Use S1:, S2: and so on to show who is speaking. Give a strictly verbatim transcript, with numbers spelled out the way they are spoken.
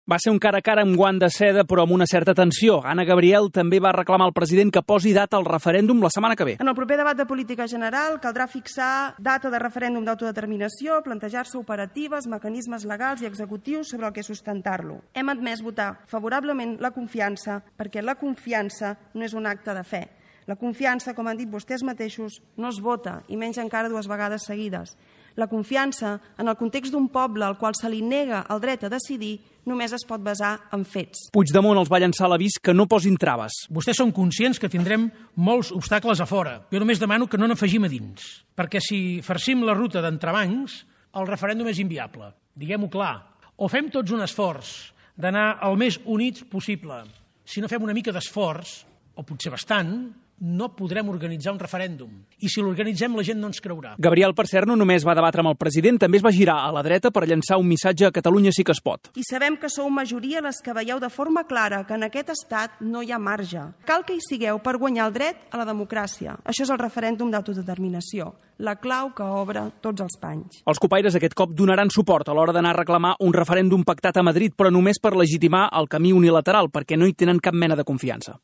S1: Va ser un cara a cara amb guant de seda, però amb una certa tensió. Anna Gabriel també va reclamar al president que posi data al referèndum la setmana que ve.
S2: En el proper debat de política general caldrà fixar data de referèndum d'autodeterminació, plantejar-se operatives, mecanismes legals i executius sobre el que sustentar-lo. Hem admès votar favorablement la confiança perquè la confiança no és un acte de fe. La confiança, com han dit vostès mateixos, no es vota, i menys encara dues vegades seguides. La confiança, en el context d'un poble al qual se li nega el dret a decidir, només es pot basar en fets.
S1: Puigdemont els va llançar l'avís que no posin traves.
S3: Vostès són conscients que tindrem molts obstacles a fora. Jo només demano que no n'afegim a dins, perquè si farcim la ruta d'entrebancs, el referèndum és inviable. Diguem-ho clar. O fem tots un esforç d'anar el més units possible. Si no fem una mica d'esforç, o potser bastant, no podrem organitzar un referèndum. I si l'organitzem, la gent no ens creurà.
S1: Gabriel, per cert, no només va debatre amb el president, també es va girar a la dreta per llançar un missatge a Catalunya sí que es pot.
S2: I sabem que sou majoria les que veieu de forma clara que en aquest estat no hi ha marge. Cal que hi sigueu per guanyar el dret a la democràcia. Això és el referèndum d'autodeterminació, la clau que obre tots els panys.
S1: Els copaires aquest cop donaran suport a l'hora d'anar a reclamar un referèndum pactat a Madrid, però només per legitimar el camí unilateral, perquè no hi tenen cap mena de confiança.